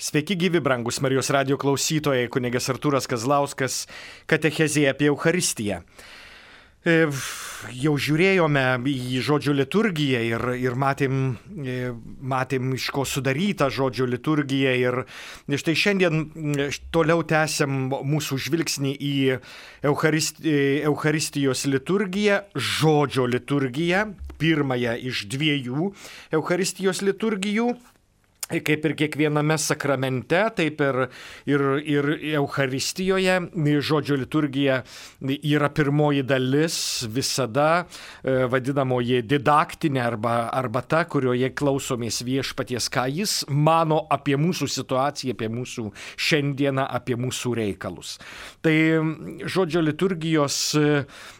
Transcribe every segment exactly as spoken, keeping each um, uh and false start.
Sveiki gyvi, brangus Marijos radijo klausytojai, kunigas Artūras Kazlauskas, katechezė apie Eucharistiją. Jau žiūrėjome į žodžio liturgiją ir, ir matėm, matėm, iš ko sudaryta žodžio liturgija. Ir štai šiandien toliau tęsiam mūsų žvilgsnį į Eucharist, Eucharistijos liturgiją, žodžio liturgiją, pirmąją iš dviejų Eucharistijos liturgijų. Kaip ir kiekviename sakramente, taip ir, ir, ir Eucharistijoje žodžio liturgija yra pirmoji dalis, visada vadinamoji didaktinė arba, arba ta, kurioje klausomės viešpaties, ką jis mano apie mūsų situaciją, apie mūsų šiandieną, apie mūsų reikalus. Tai žodžio liturgijos,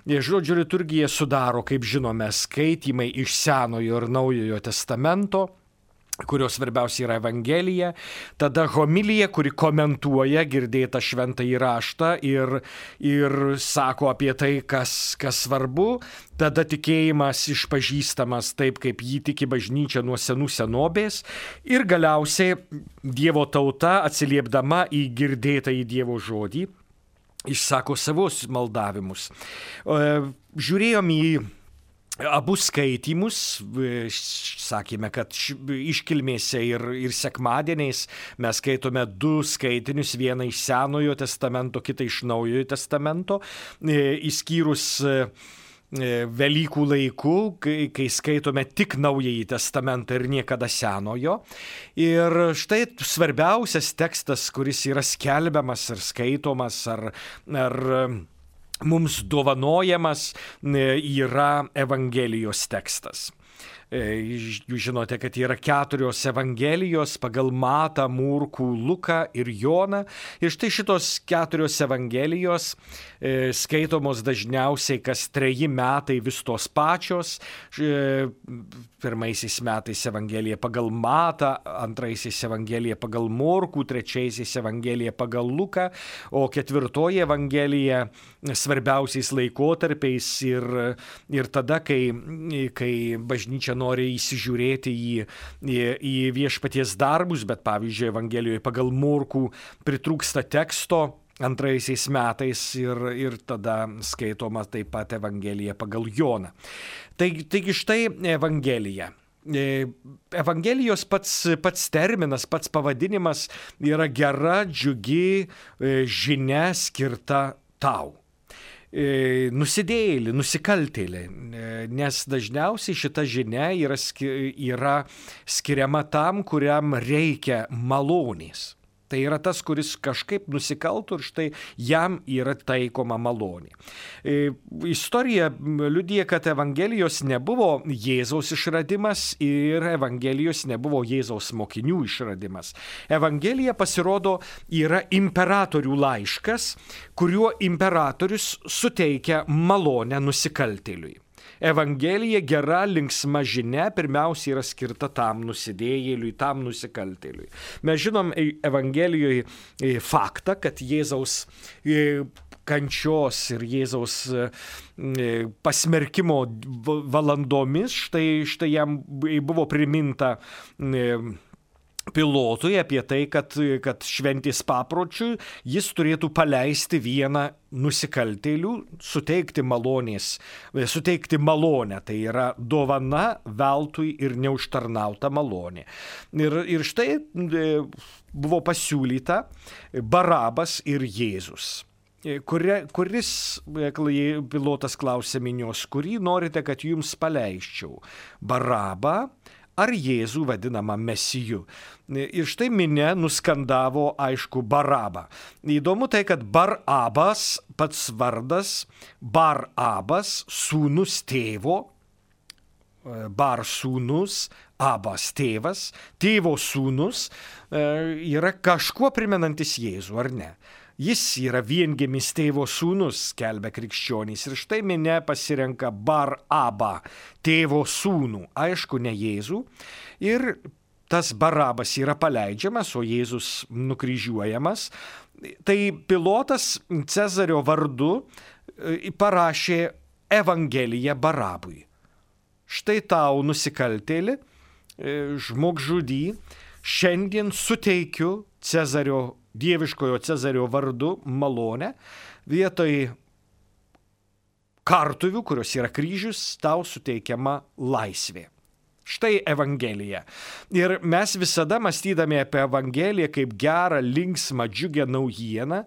žodžio liturgija sudaro, kaip žinome, skaitymai iš Senojo ir Naujojo testamento, kurios svarbiausia yra Evangelija, tada homilija, kuri komentuoja girdėtą šventąjį raštą ir, ir sako apie tai, kas, kas svarbu, tada tikėjimas išpažįstamas taip, kaip jį tiki bažnyčia nuo senų senovės ir galiausiai Dievo tauta, atsiliepdama į girdėtąjį Dievo žodį, išsako savus maldavimus. Žiūrėjom į abu skaitymus, sakėme, kad iškilmėse ir, ir sekmadieniais mes skaitome du skaitinius, vieną iš Senojo testamento, kitą iš Naujojo testamento, išskyrus Velykų laiku, kai, kai skaitome tik Naująjį testamentą ir niekada Senojo. Ir štai svarbiausias tekstas, kuris yra skelbiamas ar skaitomas ar, ar mums dovanojamas, yra Evangelijos tekstas. Jūs žinote, kad yra keturios Evangelijos pagal Matą, Morkų, Luką ir Joną. Ir štai šitos keturios Evangelijos skaitomos dažniausiai kas treji metai vis tos pačios. Pirmaisiais metais Evangelija pagal Matą, antraisiais Evangelija pagal Morkų, trečiaisiais Evangelija pagal Luką, o ketvirtoji Evangelija svarbiausiais laikotarpiais ir, ir tada, kai, kai bažnyčia nori įsižiūrėti į, į, į viešpaties darbus, bet pavyzdžiui, Evangelijoje pagal Morkų pritrūksta teksto antraisiais metais ir, ir tada skaitoma taip pat Evangelija pagal Joną. Taigi, taigi štai Evangelija. Evangelijos pats, pats terminas, pats pavadinimas yra gera, džiugi žinia skirta tau. Nusidėjėlį, nusikaltėlį, nes dažniausiai šita žinia yra, yra skiriama tam, kuriam reikia malonės. Tai yra tas, kuris kažkaip nusikaltų ir štai jam yra taikoma malonė. Istorija liudija, kad Evangelijos nebuvo Jėzaus išradimas ir Evangelijos nebuvo Jėzaus mokinių išradimas. Evangelija, pasirodo, yra imperatorių laiškas, kuriuo imperatorius suteikia malonę nusikaltėliui. Evangelija, gera, linksma žinia, pirmiausia yra skirta tam nusidėjėliui, tam nusikaltėliui. Mes žinom Evangelijoje faktą, kad Jėzaus kančios ir Jėzaus pasmerkimo valandomis, štai, štai jam buvo priminta Pilotui apie tai, kad, kad šventės papročiui jis turėtų paleisti vieną nusikaltėlių, suteikti malonės, suteikti malonę, tai yra dovana veltui ir neužtarnauta malonė. Ir, ir štai buvo pasiūlyta Barabas ir Jėzus. Kuri, kuris, Pilotas klausė minios, kurį norite, kad jums paleisčiau? Barabą ar Jėzų vadinamą Mesiju. Ir štai minia nuskandavo, aišku, Barabą. Įdomu tai, kad Barabas, pats vardas, Barabas, sūnus tėvo, Bar sūnus, Abas tėvas, tėvo sūnus, yra kažkuo primenantis Jėzų, ar ne? Jis yra viengimis tėvo sūnus, skelbia krikščionys. Ir štai minia pasirenka Barabą, tėvo sūnų, aišku, ne Jėzų. Ir tas Barabas yra paleidžiamas, o Jėzus nukryžiuojamas. Tai Pilotas Cezario vardu parašė Evangeliją Barabui. Štai tau nusikaltėli, žmogžudį, šiandien suteikiu Cezario, dieviškojo Cezario vardu malonę, vietoj kartuvių, kurios yra kryžius, tau suteikiama laisvė. Štai Evangelija. Ir mes visada mąstydami apie Evangeliją kaip gerą, linksmą, džiugę naujieną,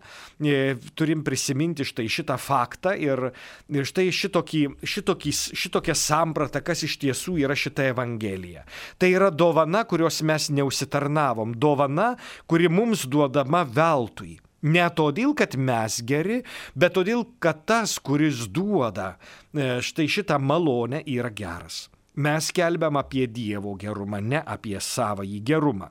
turim prisiminti štai šitą faktą ir, ir štai šitokį, šitokį, šitokią sampratą, kas iš tiesų yra šita Evangelija. Tai yra dovana, kurios mes neusitarnavom, dovana, kuri mums duodama veltui. Ne todėl, kad mes geri, bet todėl, kad tas, kuris duoda štai šitą malonę, yra geras. Mes kelbiam apie Dievo gerumą, ne apie savąjį gerumą.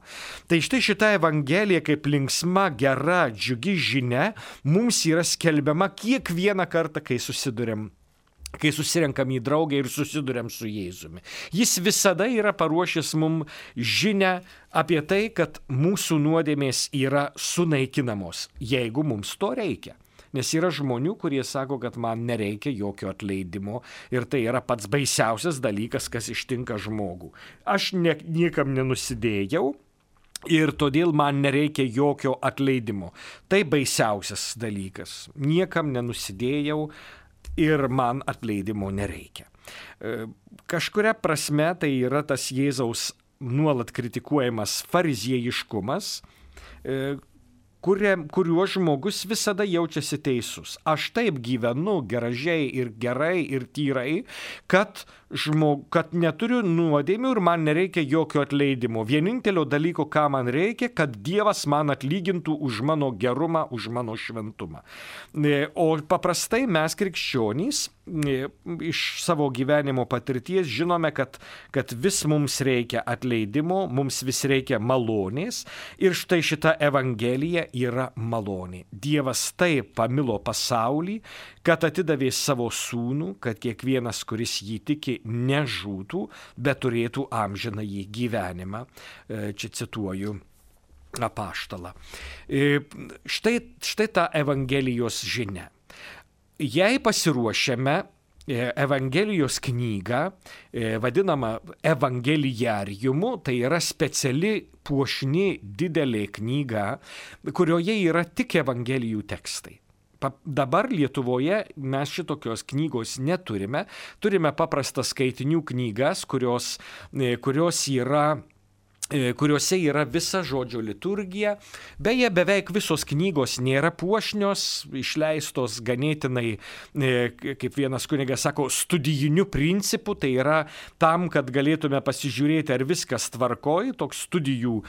Tai štai šita Evangelija kaip linksma, gera, džiugi žinia mums yra skelbiama kiekvieną kartą, kai susiduriam. Kai susirenkam į draugę ir susiduriam su Jėzumi. Jis visada yra paruošęs mums žinią apie tai, kad mūsų nuodėmės yra sunaikinamos, jeigu mums to reikia. Nes yra žmonių, kurie sako, kad man nereikia jokio atleidimo ir tai yra pats baisiausias dalykas, kas ištinka žmogų. Aš ne, niekam nenusidėjau ir todėl man nereikia jokio atleidimo. Tai baisiausias dalykas. Niekam nenusidėjau ir man atleidimo nereikia. Kažkuria prasme tai yra tas Jėzaus nuolat kritikuojamas fariziejiškumas, kuriuo žmogus visada jaučiasi teisus. Aš taip gyvenu gražiai ir gerai ir tyrai, kad, žmog, kad neturiu nuodėmių ir man nereikia jokio atleidimo. Vienintelio dalyko, ką man reikia, kad Dievas man atlygintų už mano gerumą, už mano šventumą. O paprastai mes krikščionys iš savo gyvenimo patirties žinome, kad, kad vis mums reikia atleidimo, mums vis reikia malonės ir štai šita Evangelija yra malonė. Dievas taip pamilo pasaulį, kad atidavė savo sūnų, kad kiekvienas, kuris jį tiki, nežūtų, bet turėtų amžinąjį gyvenimą. Čia cituoju apaštalą. Štai, štai ta Evangelijos žinia. Jei pasiruošiame Evangelijos knygą, vadinamą evangelijariumu, tai yra speciali puošni didelė knyga, kurioje yra tik evangelijų tekstai. Dabar Lietuvoje mes šitokios knygos neturime, turime paprastas skaitinių knygas, kurios, kurios yra kuriuose yra visa žodžio liturgija. Beje, beveik visos knygos nėra puošnios, išleistos ganėtinai, kaip vienas kunigas sako, studijiniu principu, tai yra tam, kad galėtume pasižiūrėti, ar viskas tvarkoj, toks studijų,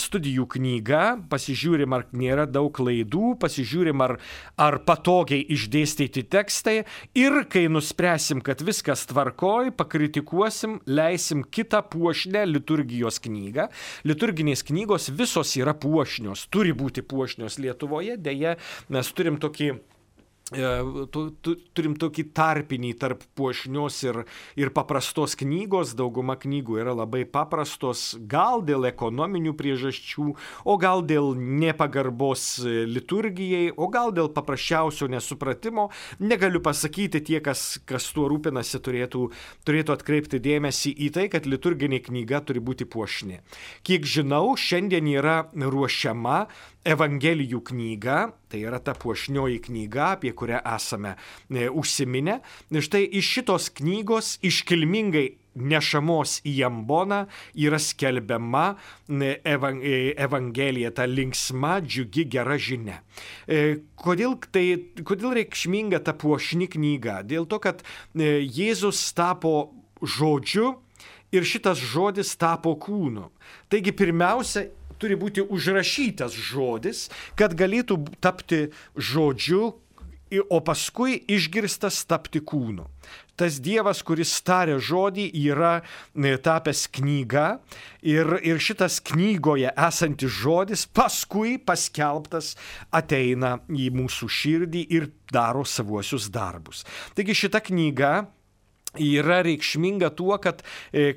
studijų knyga, pasižiūrim, ar nėra daug klaidų, pasižiūrim, ar, ar patogiai išdėstyti tekstai ir kai nuspręsim, kad viskas tvarkoj, pakritikuosim, leisim kitą puošnę liturgijos knygą. Liturginės knygos visos yra puošnios, turi būti puošnios Lietuvoje, deja mes turim tokį, tu, tu, turim tokį tarpinį tarp puošnios ir, ir paprastos knygos. Dauguma knygų yra labai paprastos, gal dėl ekonominių priežasčių, o gal dėl nepagarbos liturgijai, o gal dėl paprasčiausio nesupratimo. Negaliu pasakyti, tie, kas, kas tuo rūpinasi, turėtų, turėtų atkreipti dėmesį į tai, kad liturginė knyga turi būti puošni. Kiek žinau, šiandien yra ruošiama Evangelijų knyga, tai yra ta puošnioji knyga, apie kurią esame e, užsiminę. Štai iš šitos knygos iškilmingai nešamos į amboną yra skelbiama evang, Evangelija, ta linksma, džiugi, gera žinia. E, kodėl, tai, kodėl reikšminga ta puošni knyga? Dėl to, kad e, Jėzus tapo žodžiu ir šitas žodis tapo kūnu. Taigi pirmiausia, turi būti užrašytas žodis, kad galėtų tapti žodžiu, o paskui išgirstas tapti kūnu. Tas Dievas, kuris tarė žodį, yra tapęs knyga ir, ir šitas knygoje esantis žodis paskui paskelbtas ateina į mūsų širdį ir daro savuosius darbus. Taigi šita knyga yra reikšminga tuo, kad,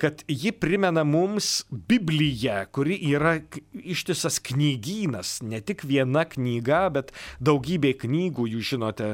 kad ji primena mums Bibliją, kuri yra ištisas knygynas, ne tik viena knyga, bet daugybė knygų, jūs žinote,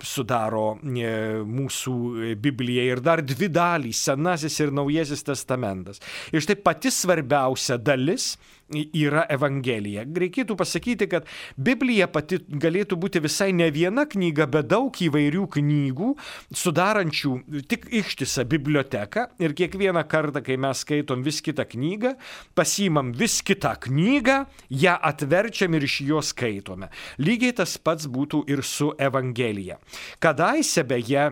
sudaro mūsų Bibliją ir dar dvi dalys, Senasis ir Naujasis testamentas. Ir štai pati svarbiausia dalis yra Evangelija. Reikėtų pasakyti, kad Biblija pati galėtų būti visai ne viena knyga, bet daug įvairių knygų, sudarančių tik ištisą biblioteką, ir kiekvieną kartą, kai mes skaitom vis kitą knygą, pasiimam vis kitą knygą, ją atverčiam ir iš jos skaitome. Lygiai tas pats būtų ir su Evangelija. Kadaise beje,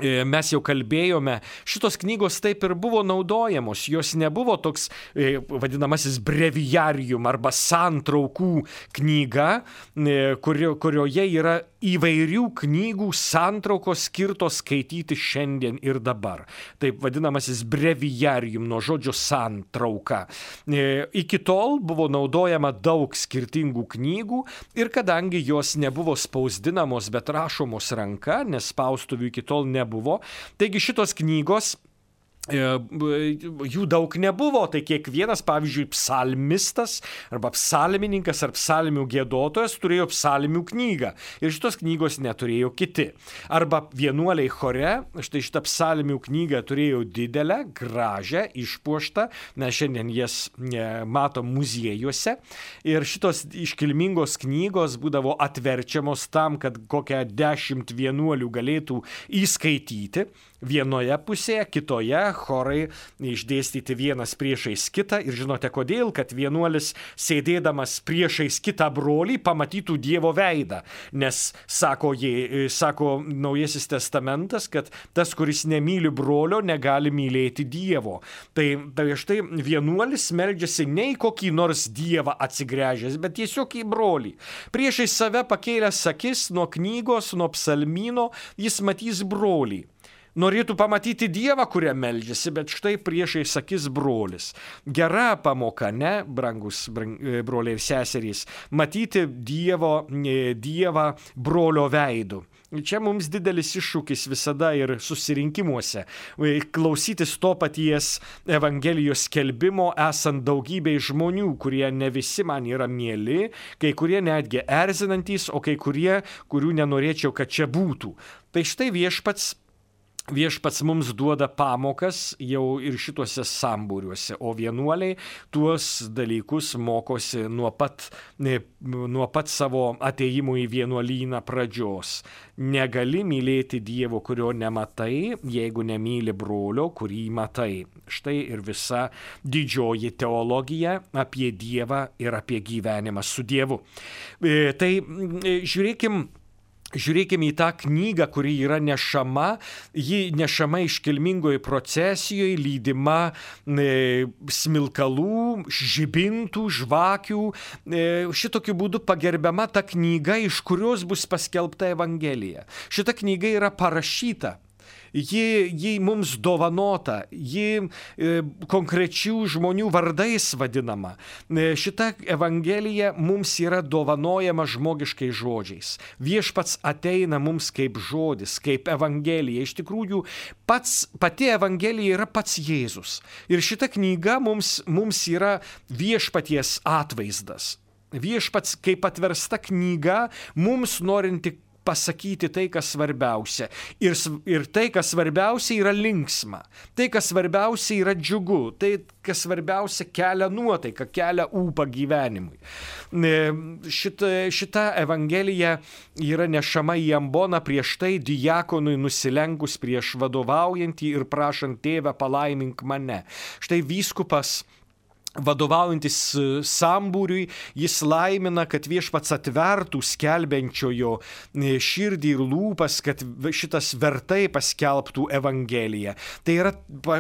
mes jau kalbėjome, šitos knygos taip ir buvo naudojamos, jos nebuvo toks vadinamasis breviarium arba santraukų knyga, kurio, kurioje yra įvairių knygų santraukos skirtos skaityti šiandien ir dabar. Taip vadinamasis breviarium, nuo žodžio santrauka. Iki tol buvo naudojama daug skirtingų knygų ir kadangi jos nebuvo spausdinamos, bet rašomos ranka, nes spaustuvių iki tol nebuvo, taigi šitos knygos jų daug nebuvo, tai kiekvienas, pavyzdžiui, psalmistas arba psalmininkas ar psalmių giedotojas turėjo psalmių knygą ir šitos knygos neturėjo kiti. Arba vienuoliai chore, štai šitą psalmių knygą turėjo didelę, gražią, išpuoštą, mes šiandien jas matom muziejuose ir šitos iškilmingos knygos būdavo atverčiamos tam, kad kokią dešimt vienuolių galėtų įskaityti vienoje pusėje, kitoje chorai išdėstyti vienas priešais kitą ir žinote kodėl, kad vienuolis sėdėdamas priešais kitą brolį pamatytų Dievo veidą, nes sako, jie, sako Naujasis testamentas, kad tas, kuris nemyli brolio, negali mylėti Dievo. Tai, tai štai vienuolis meldžiasi ne į kokį nors Dievą atsigręžęs, bet tiesiog į brolį. Priešais save pakėlęs akis nuo knygos, nuo psalmyno, jis matys brolį. Norėtų pamatyti Dievą, kurią meldžiasi, bet štai priešais akis brolis. Gera pamoka, ne, brangus broliai ir seserys, matyti Dievo, Dievą brolio veidu. Čia mums didelis iššūkis visada ir susirinkimuose. Klausytis to paties Evangelijos skelbimo, esant daugybei žmonių, kurie ne visi man yra mieli, kai kurie netgi erzinantys, o kai kurie, kurių nenorėčiau, kad čia būtų. Tai štai viešpats Viešpats mums duoda pamokas jau ir šituose sambūriuose, o vienuoliai tuos dalykus mokosi nuo pat, nuo pat savo atėjimų į vienuolyną pradžios. Negali mylėti Dievo, kurio nematai, jeigu nemyli brolio, kurį matai. Štai ir visa didžioji teologija apie Dievą ir apie gyvenimą su Dievu. Tai žiūrėkim, Žiūrėkime į tą knygą, kuri yra nešama, ji nešama iškilmingoje procesijoje, lydima e, smilkalų, žibintų, žvakių. E, šitokiu būdu pagerbiama ta knyga, iš kurios bus paskelbta Evangelija. Šita knyga yra parašyta. Ji, ji mums dovanota, ji e, konkrečių žmonių vardais vadinama. E, šita Evangelija mums yra dovanojama žmogiškais žodžiais. Viešpats ateina mums kaip žodis, kaip Evangelija. Iš tikrųjų, pats, pati Evangelija yra pats Jėzus. Ir šita knyga mums, mums yra viešpaties atvaizdas. Viešpats kaip atversta knyga mums norinti pasakyti tai, kas svarbiausia. Ir, ir tai, kas svarbiausia, yra linksma. Tai, kas svarbiausia, yra džiugu. Tai, kas svarbiausia, kelia nuotaiką, kelia ūpą gyvenimui. Šita, šita Evangelija yra nešama į amboną prieš tai diakonui nusilenkus prieš vadovaujantį ir prašant tėvę palaimink mane. Štai vyskupas vadovaujantis sambūriui, jis laimina, kad viešpats atvertų skelbiančiojo širdį ir lūpas, kad šitas vertai paskelbtų Evangeliją. Tai yra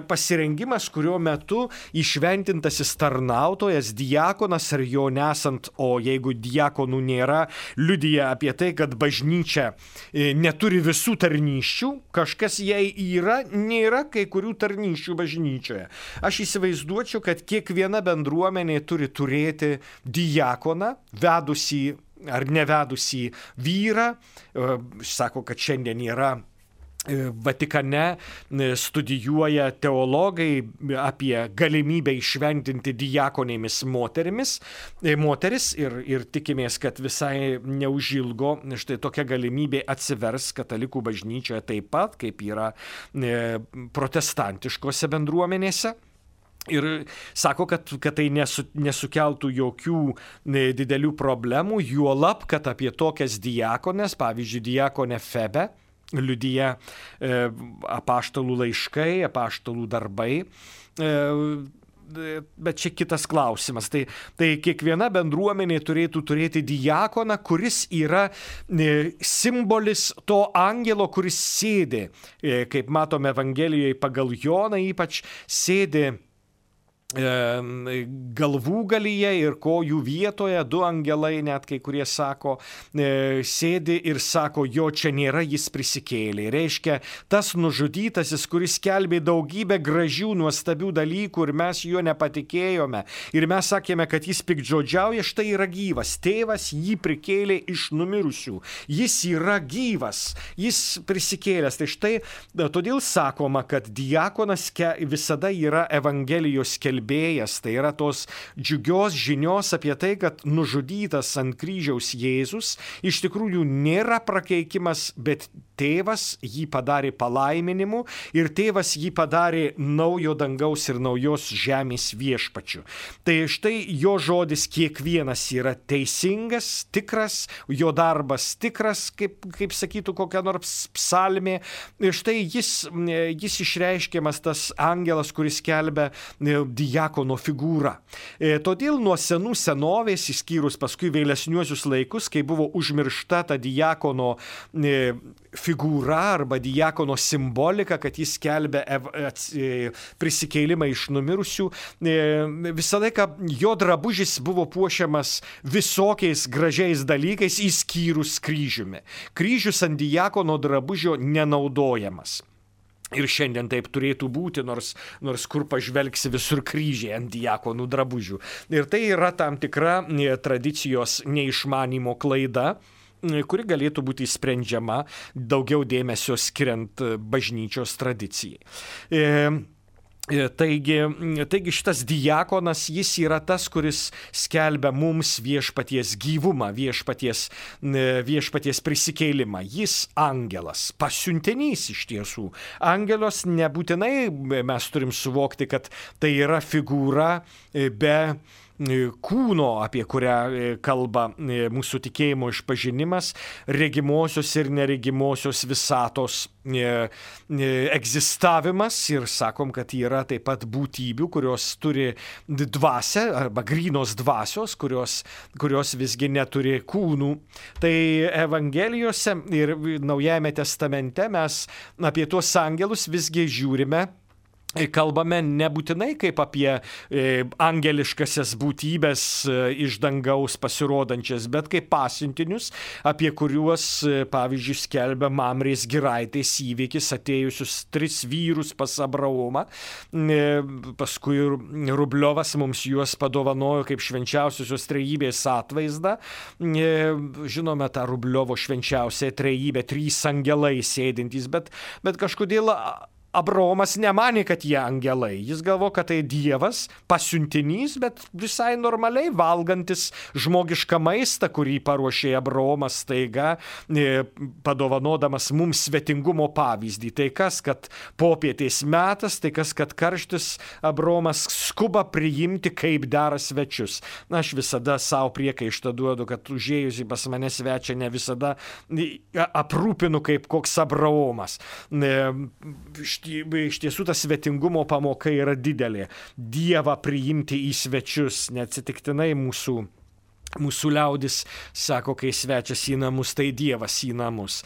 pasirengimas, kurio metu įšventintasis tarnautojas, diakonas ar jo nesant, o jeigu diakonų nėra, liudija apie tai, kad bažnyčia neturi visų tarnysčių, kažkas jai yra, nėra kai kurių tarnysčių bažnyčioje. Aš įsivaizduočiau, kad kiekviena bendruomenė turi turėti diakoną, vedusį ar nevedusį vyrą. Sako, kad šiandien yra Vatikane studijuoja teologai apie galimybę išventinti diakonėmis moterimis, moteris ir, ir tikimės, kad visai neužilgo štai tokia galimybė atsivers katalikų bažnyčioje taip pat, kaip yra protestantiškose bendruomenėse. Ir sako, kad, kad tai nesu, nesukeltų jokių didelių problemų, juolab, kad apie tokias diakones, pavyzdžiui, diakonę Febę, liudija e, apaštalų laiškai, apaštalų darbai. E, Bet čia kitas klausimas. Tai, tai kiekviena bendruomenė turėtų turėti diakoną, kuris yra e, simbolis to angelo, kuris sėdi, e, kaip matome Evangelijoje pagal Joną, ypač sėdi galvūgalyje ir kojų vietoje, du angelai, net kai kurie sako, sėdi ir sako, jo čia nėra, jis prisikėlė. Reiškia, tas nužudytasis, kuris skelbė daugybę gražių, nuostabių dalykų ir mes juo nepatikėjome. Ir mes sakėme, kad jis piktžodžiauja, štai yra gyvas. Tėvas jį prikėlė iš numirusių. Jis yra gyvas, jis prisikėlęs. Tai štai, todėl sakoma, kad diakonas visada yra Evangelijos skelbėjas. Tai yra tos džiugios žinios apie tai, kad nužudytas ant kryžiaus Jėzus iš tikrųjų nėra prakeikimas, bet tėvas jį padarė palaiminimu ir tėvas jį padarė naujo dangaus ir naujos žemės viešpačiu. Tai štai jo žodis kiekvienas yra teisingas, tikras, jo darbas tikras, kaip, kaip sakytų kokia nors psalmė. Ir štai jis, jis išreiškiamas tas angelas, kuris skelbia diakono figūrą. E, todėl nuo senų senovės, išskyrus paskui vėlesniuosius laikus, kai buvo užmiršta ta diakono e, figūra arba diakono simbolika, kad jis skelbia ev, e, prisikėlimą iš numirusių, e, visą laiką jo drabužis buvo puošiamas visokiais gražiais dalykais, išskyrus kryžiumi. Kryžius ant diakono drabužio nenaudojamas. Ir šiandien taip turėtų būti, nors, nors kur pažvelgsi visur kryžiai ant diakonų drabužių. Ir tai yra tam tikra tradicijos neišmanimo klaida, kuri galėtų būti sprendžiama daugiau dėmesio skiriant bažnyčios tradicijai. E, Taigi, taigi šitas diakonas, jis yra tas, kuris skelbia mums viešpaties gyvumą, viešpaties, viešpaties prisikėlimą. Jis angelas, pasiuntinys iš tiesų. Angelos nebūtinai mes turim suvokti, kad tai yra figūra be kūno, apie kurią kalba mūsų tikėjimo išpažinimas, regimosios ir neregimosios visatos egzistavimas ir sakom, kad yra taip pat būtybių, kurios turi dvasią arba grynos dvasios, kurios, kurios visgi neturi kūnų. Tai Evangelijose ir Naujajame testamente mes apie tuos angelus visgi žiūrime, kalbame nebūtinai kaip apie e, angeliškasias būtybės e, iš dangaus pasirodančias, bet kaip pasiuntinius, apie kuriuos, e, pavyzdžiui, skelbia Mamrės giraitės įvykis, atėjusius tris vyrus pas Abraomą. E, paskui Rubliovas mums juos padovanojo kaip švenčiausiosios trejybės atvaizdą. E, žinome tą Rubliovo švenčiausią trejybę, trys angelai sėdintys, bet, bet kažkodėl Abraomas nemanė, kad jie angelai. Jis galvo, kad tai Dievas, pasiuntinys, bet visai normaliai valgantis žmogišką maistą, kurį paruošė Abraomas staiga, padovanodamas mums svetingumo pavyzdį. Tai kas, kad popietės metas, tai kas, kad karštis, Abraomas skuba priimti kaip dera svečius. Na, aš visada savo priekaištą duodu, kad užėjusi pas mane svečia ne visada aprūpinu kaip koks Abraomas. Iš tiesų tas svetingumo pamoka yra didelė. Dievą priimti į svečius, neatsitiktinai mūsų, mūsų liaudis sako, kai svečias į namus, tai Dievas į namus.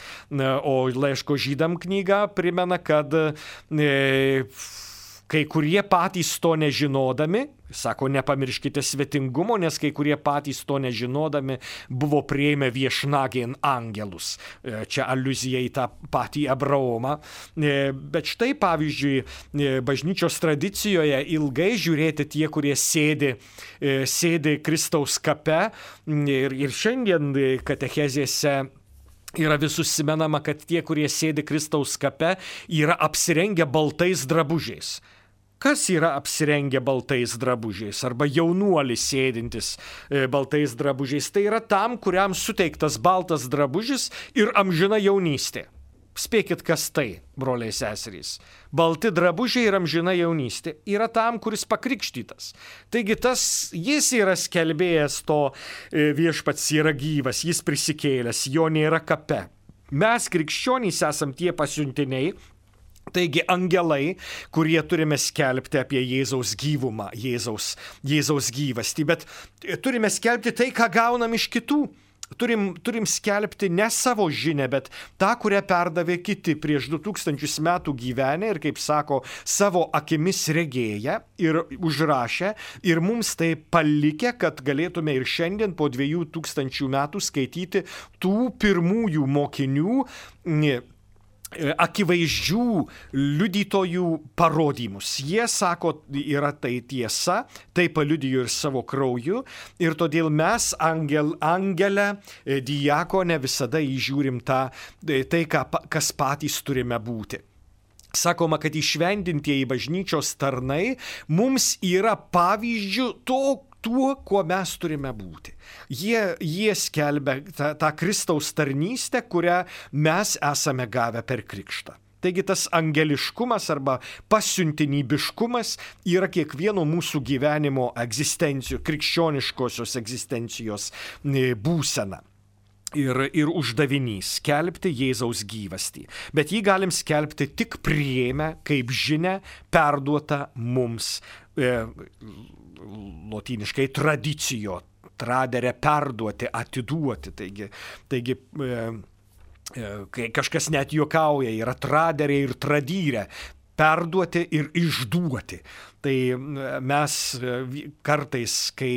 O laiško Žydam knyga primena, kad e, kai kurie patys to nežinodami, sako, nepamirškite svetingumo, nes kai kurie patys to nežinodami buvo prieimę viešnagėn angelus. Čia aliuzija į tą patį Abraomą. Bet štai, pavyzdžiui, bažnyčios tradicijoje ilgai žiūrėti tie, kurie sėdi, sėdi Kristaus kape. Ir, ir šiandien katechezėse yra vis užsimenama, kad tie, kurie sėdi Kristaus kape, yra apsirengę baltais drabužiais. Kas yra apsirengę baltais drabužiais arba jaunuolis sėdintis e, baltais drabužiais? Tai yra tam, kuriam suteiktas baltas drabužis ir amžina jaunystė. Spėkit, kas tai, broliai seserys. Balti drabužiai ir amžina jaunystė yra tam, kuris pakrikštytas. Taigi tas, jis yra skelbėjas to viešpats yra gyvas, jis prisikėlęs, jo nėra kape. Mes krikščionys esam tie pasiuntiniai, taigi angelai, kurie turime skelbti apie Jėzaus gyvumą, Jėzaus, Jėzaus gyvastį, bet turime skelbti tai, ką gaunam iš kitų. Turim, turim skelbti ne savo žinę, bet tą, kurią perdavė kiti prieš du tūkstančius metų gyvenę ir, kaip sako, savo akimis regėję ir užrašę ir mums tai palikę, kad galėtume ir šiandien po dviejų tūkstančių metų skaityti tų pirmųjų mokinių akivaizdžių liudytojų parodymus. Jie sako, yra tai tiesa, tai paliudijo ir savo krauju ir todėl mes angel, angelę, diakonę visada įžiūrim tą, tai, ką, kas patys turime būti. Sakoma, kad įšventintieji bažnyčios tarnai mums yra pavyzdžių to, tuo, kuo mes turime būti. Jie, jie skelbia tą, tą Kristaus tarnystę, kurią mes esame gavę per krikštą. Taigi tas angeliškumas arba pasiuntinybiškumas yra kiekvieno mūsų gyvenimo egzistencijos, krikščioniškosios egzistencijos būsena. Ir, ir uždavinys skelbti Jėzaus gyvastį. Bet jį galim skelbti tik priėmę kaip žinia perduota mums e, lotyniškai tradicijo, tradere perduoti, atiduoti. Taigi, taigi e, e, kai kažkas net juokauja, yra traderė ir tradyrė. Perduoti ir išduoti. Tai mes kartais, kai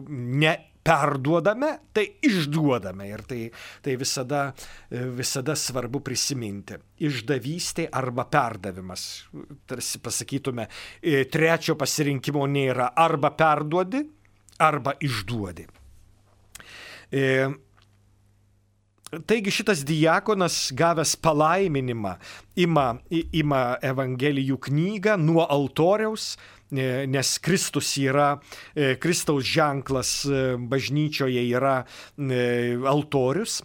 ne perduodame, tai išduodame ir tai, tai visada, visada svarbu prisiminti. Išdavystė arba perdavimas. Tarsi pasakytume, trečio pasirinkimo nėra, arba perduodi, arba išduodi. E, Taigi šitas diakonas, gavęs palaiminimą, ima, ima Evangelijų knygą nuo altoriaus, nes Kristus yra, Kristaus ženklas bažnyčioje yra altorius,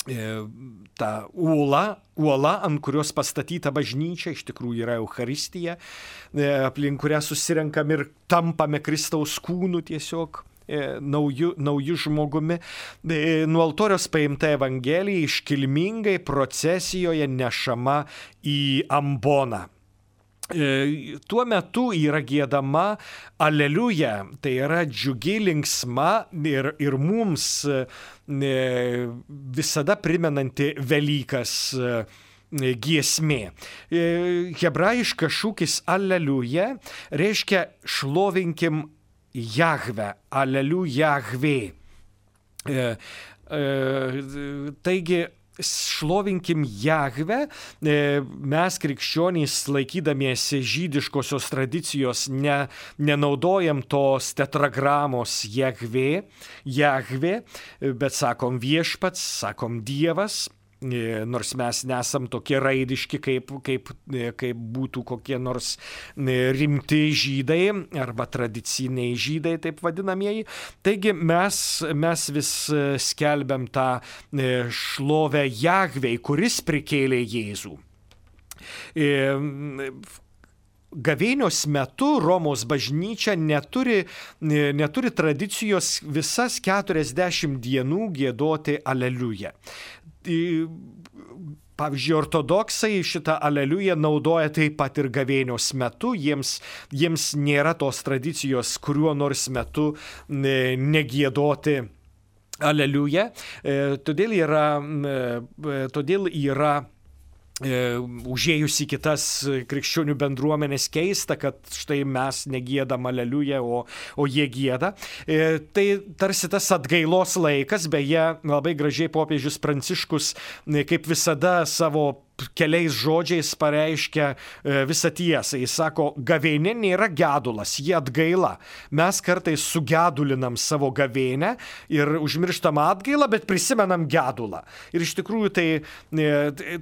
ta uola, uola, ant kurios pastatyta bažnyčia, iš tikrųjų yra Eucharistija, aplink kurią susirenkam ir tampame Kristaus kūnu tiesiog. Naujų, naujų žmogumi. Nuo altoriaus paimta Evangelija iškilmingai procesijoje nešama į amboną. Tuo metu yra giedama Aleliuja, tai yra džiugi, linksma ir, ir mums visada primenanti Velykas giesmė. Hebrajiškas šūkis Aleliuja reiškia šlovinkim Jahve, Aleliu Jahvė. E, e, taigi, šlovinkim Jahve, e, mes krikščionys laikydamiesi žydiškosios tradicijos ne, nenaudojam tos tetragramos Jahvė, Jahvė, bet sakom viešpats, sakom Dievas. Nors mes nesam tokie raidiški, kaip, kaip, kaip būtų kokie nors rimti žydai arba tradiciniai žydai, taip vadinamieji. Taigi mes, mes vis skelbiam tą šlovę Jahvei, kuris prikėlė Jėzų. Gavėnios metu Romos bažnyčia neturi, neturi tradicijos visas keturiasdešimt dienų giedoti Aleliuja. Pavyzdžiui, ortodoksai šitą Aleliują naudoja taip pat ir gavėnios metu, jiems, jiems nėra tos tradicijos kuriuo nors metu negiedoti Aleliują, todėl yra, todėl yra užėjus į kitas krikščionių bendruomenės keista, kad štai mes negiedam Aleliuja, o, o jie gieda. Tai tarsi tas atgailos laikas, beje, labai gražiai popiežius Pranciškus, kaip visada savo keliais žodžiais pareiškia visą tiesą. Jis sako, gavėnė nėra gedulas, jie atgaila. Mes kartais sugedulinam savo gavėnę ir užmirštam atgailą, bet prisimenam gedulą. Ir iš tikrųjų tai,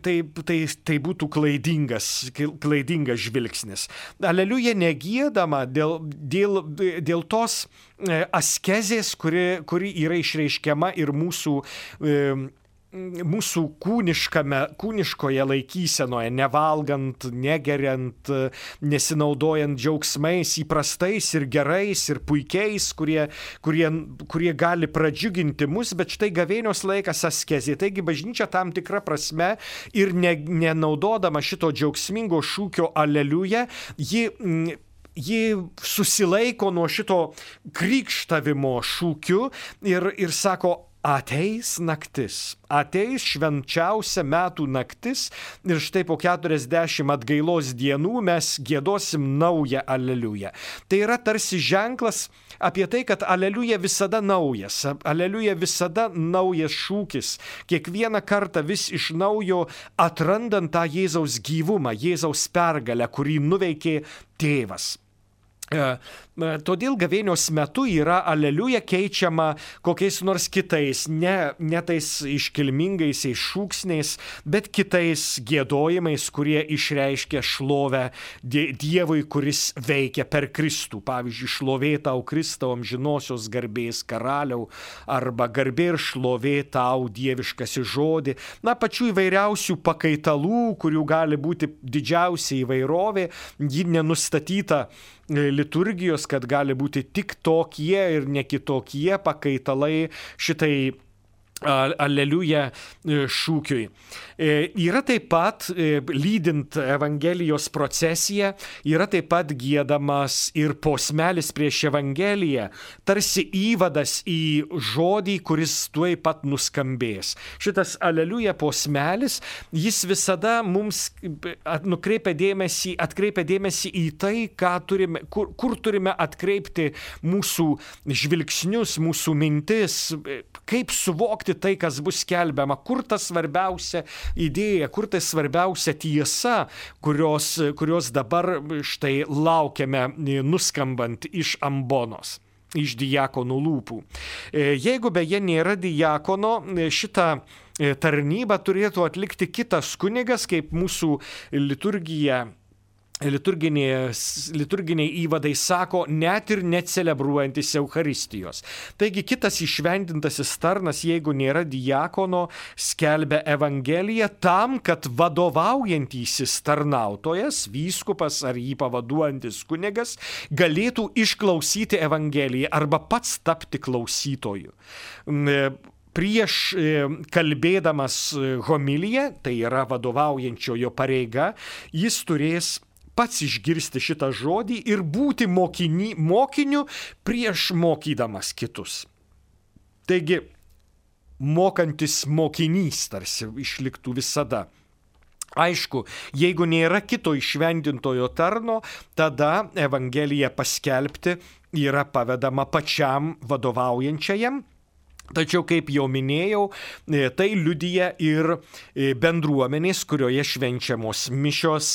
tai, tai, tai būtų klaidingas, klaidingas žvilgsnis. Aleliuja negiedama dėl, dėl, dėl tos askezės, kuri, kuri yra išreiškiama ir mūsų mūsų kūniškame, kūniškoje laikysenoje, nevalgant, negeriant, nesinaudojant džiaugsmais įprastais ir gerais ir puikiais, kurie, kurie, kurie gali pradžiuginti mus, bet štai gavėnios laikas askezė. Taigi bažnyčia tam tikra prasme ir ne, nenaudodama šito džiaugsmingo šūkio aleliuja, ji ji susilaiko nuo šito krikštavimo šūkiu ir, ir sako, ateis naktis, ateis švenčiausia metų naktis ir štai po keturiasdešimt atgailos dienų mes giedosim naują aleliują. Tai yra tarsi ženklas apie tai, kad aleliuja visada naujas, aleliuja visada naujas šūkis, kiekvieną kartą vis iš naujo atrandant tą Jėzaus gyvumą, Jėzaus pergalę, kurį nuveikė tėvas. Todėl gavėnios metu yra aleliuja keičiama kokiais nors kitais, ne, ne tais iškilmingaisiais šūksniais, bet kitais giedojimais, kurie išreiškia šlovę Dievui, kuris veikia per Kristų. Pavyzdžiui, šlovė tau Kristau amžinosios garbės karaliau, arba garbė ir šlovė tau dieviškasi žodį. Na, pačių įvairiausių pakaitalų, kurių gali būti didžiausia įvairovė, ji nenustatyta liturgijos, kad gali būti tik tokie ir ne kitokie pakaitalai šitai aleliuja šūkiui. Yra taip pat, lydint Evangelijos procesiją, yra taip pat giedamas ir posmelis prieš Evangeliją, tarsi įvadas į žodį, kuris tuoj pat nuskambės. Šitas aleliuja posmelis, jis visada mums nukreipia dėmesį, atkreipia dėmesį į tai, ką turime, kur, kur turime atkreipti mūsų žvilgsnius, mūsų mintis, kaip suvokti tai, kas bus skelbiama, kur ta svarbiausia idėja, kur ta svarbiausia tiesa, kurios, kurios dabar štai laukiame nuskambant iš ambonos, iš diakonų lūpų. Jeigu beje nėra diakono, šitą tarnybą turėtų atlikti kitas kunigas, kaip mūsų liturgija Liturginiai, liturginiai įvadai sako, net ir necelebruojantis Eucharistijos. Taigi kitas išvendintasis tarnas, jeigu nėra diakono, skelbia Evangeliją tam, kad vadovaujantysis tarnautojas, vyskupas ar jį pavaduojantis kunigas, galėtų išklausyti Evangeliją arba pats tapti klausytoju. Prieš kalbėdamas homiliją, tai yra vadovaujančiojo pareiga, jis turės pats išgirsti šitą žodį ir būti mokini, mokiniu prieš mokydamas kitus. Taigi, mokantis mokinys tarsi išliktų visada. Aišku, jeigu nėra kito išvendintojo tarno, tada Evangeliją paskelbti yra pavedama pačiam vadovaujančiajam. Tačiau, kaip jau minėjau, tai liudija ir bendruomenės, kurioje švenčiamos mišios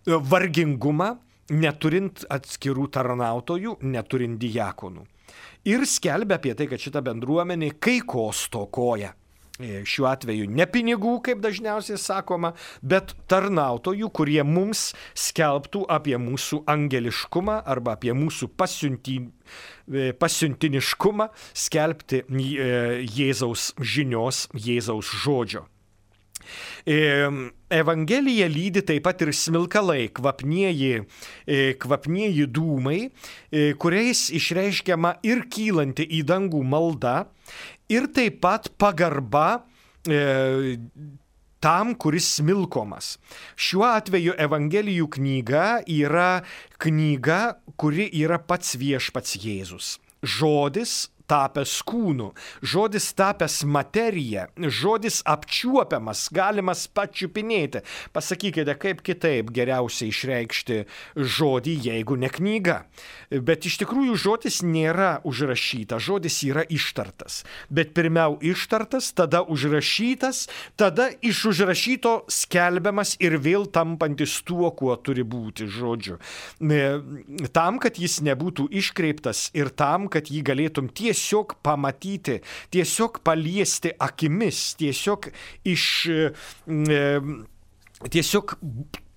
vargingumą, neturint atskirų tarnautojų, neturint diakonų. Ir skelbia apie tai, kad šita bendruomenė kai ko stokoja. Šiuo atveju ne pinigų, kaip dažniausiai sakoma, bet tarnautojų, kurie mums skelbtų apie mūsų angeliškumą arba apie mūsų pasiunti, pasiuntiniškumą skelbti Jėzaus žinios, Jėzaus žodžio. Evangelija lydi taip pat ir smilkalai, kvapnieji, kvapnieji dūmai, kuriais išreiškiama ir kylanti į dangų malda, ir taip pat pagarba e, tam, kuris smilkomas. Šiuo atveju Evangelijų knyga yra knyga, kuri yra pats viešpats Jėzus. Žodis tapęs kūnu, žodis tapęs materija, žodis apčiuopiamas, galimas pačiupinėti. Pasakykite, kaip kitaip geriausiai išreikšti žodį, jeigu ne knyga. Bet iš tikrųjų žodis nėra užrašytas, žodis yra ištartas. Bet pirmiau ištartas, tada užrašytas, tada iš užrašyto skelbiamas ir vėl tampantis tuo, kuo turi būti žodžiu. Tam, kad jis nebūtų iškreiptas ir tam, kad jį galėtum tiesiog pamatyti, tiesiog paliesti akimis, tiesiog iš... Tiesiog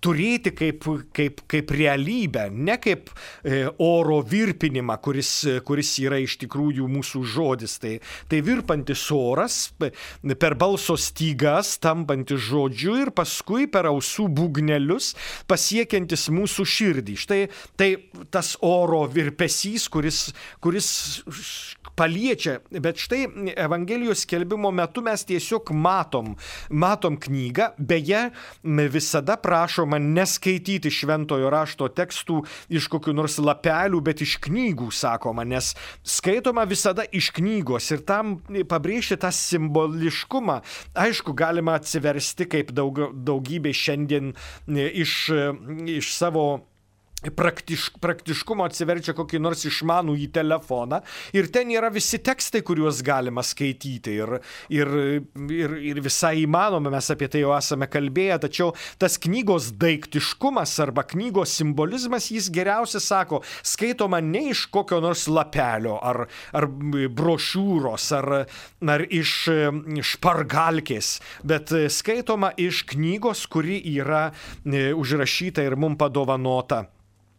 turėti kaip, kaip, kaip realybę, ne kaip e, oro virpinimą, kuris, kuris yra iš tikrųjų mūsų žodis. Tai, tai virpantis oras per balso stygas, tampantis žodžiu ir paskui per ausų būgnelius pasiekiantis mūsų širdį. Štai tai tas oro virpesys, kuris, kuris paliečia, bet štai Evangelijos skelbimo metu mes tiesiog matom, matom knygą, beje, visada prašoma neskaityti šventojo rašto tekstų iš kokių nors lapelių, bet iš knygų, sakoma, nes skaitoma visada iš knygos ir tam pabrėžti tą simboliškumą. Aišku, galima atsiversti kaip daug, daugybė šiandien iš, iš savo Praktiš, praktiškumo atsiverčia kokį nors išmanų į telefoną ir ten yra visi tekstai, kuriuos galima skaityti ir, ir, ir, ir visai įmanoma, mes apie tai jau esame kalbėję, tačiau tas knygos daiktiškumas arba knygos simbolizmas, jis geriausia sako, skaitoma ne iš kokio nors lapelio ar, ar brošiūros ar, ar iš špargalkės, bet skaitoma iš knygos, kuri yra užrašyta ir mums padovanota.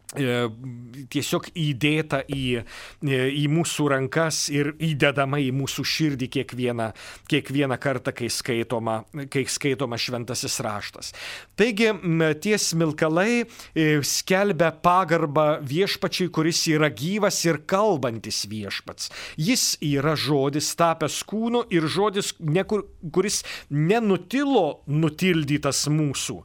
Tiesiog įdėta į, į mūsų rankas ir įdedama į mūsų širdį kiekvieną, kiekvieną kartą, kai skaitoma, kai skaitoma šventasis raštas. Taigi tie smilkalai skelbia pagarbą viešpačiui, kuris yra gyvas ir kalbantis viešpats. Jis yra žodis tapęs kūnu ir žodis, kuris nenutilo nutildytas mūsų,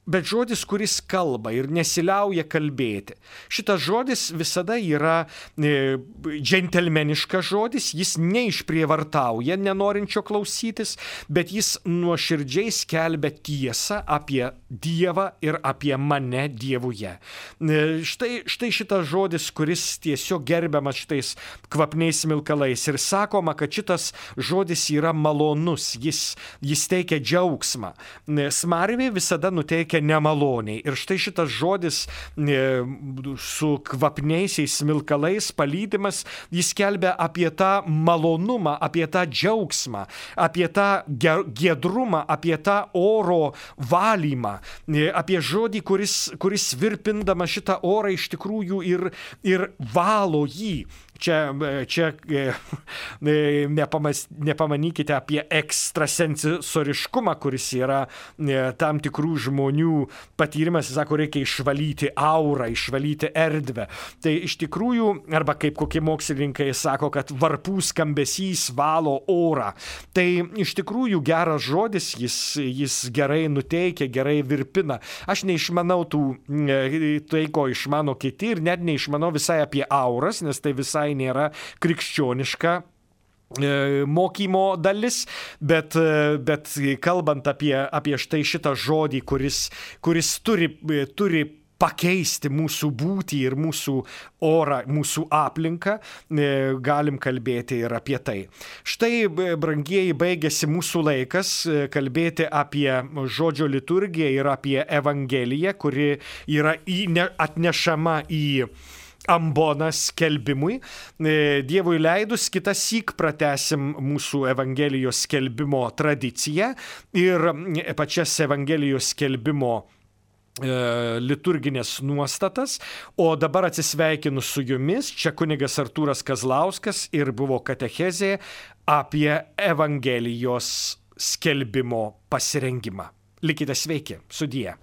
bet žodis, kuris kalba ir nesiliauja kalbėti. Šitas žodis visada yra e, džentelmeniškas žodis, jis neišprievartauja nenorinčio klausytis, bet jis nuoširdžiai skelbia tiesą apie Dievą ir apie mane Dievuje. E, štai, štai šitas žodis, kuris tiesiog gerbiamas šitais kvapniais smilkalais ir sakoma, kad šitas žodis yra malonus, jis, jis teikia džiaugsmą. E, smarvė visada nuteikia nemaloniai. Ir štai šitas žodis e, su kvapniaisiais smilkalais palydimas, jis kelbia apie tą malonumą, apie tą džiaugsmą, apie tą giedrumą, apie tą oro valymą, e, apie žodį, kuris, kuris virpindama šitą orą iš tikrųjų ir, ir valo jį. Čia, čia nepamas, nepamanykite apie ekstrasensoriškumą, kuris yra tam tikrų žmonių patyrimas, jis sako, reikia išvalyti aurą, išvalyti erdvę. Tai iš tikrųjų, arba kaip kokie mokslininkai sako, kad varpų skambesys valo orą. Tai iš tikrųjų geras žodis, jis, jis gerai nuteikia, gerai virpina. Aš neišmanau tų, tai, ko išmano kiti ir net neišmanau visai apie auras, nes tai visai nėra krikščioniška mokymo dalis, bet, bet kalbant apie, apie štai šitą žodį, kuris, kuris turi, turi pakeisti mūsų būtį ir mūsų orą, mūsų aplinką, galim kalbėti ir apie tai. Štai, brangieji, baigėsi mūsų laikas kalbėti apie žodžio liturgiją ir apie Evangeliją, kuri yra atnešama į amboną skelbimui. Dievui leidus, kitą syk pratęsim mūsų Evangelijos skelbimo tradiciją ir pačias Evangelijos skelbimo liturginės nuostatas, o dabar atsisveikinu su jumis. Čia kunigas Artūras Kazlauskas ir buvo katechezė apie Evangelijos skelbimo pasirengimą. Likite sveiki, sudie.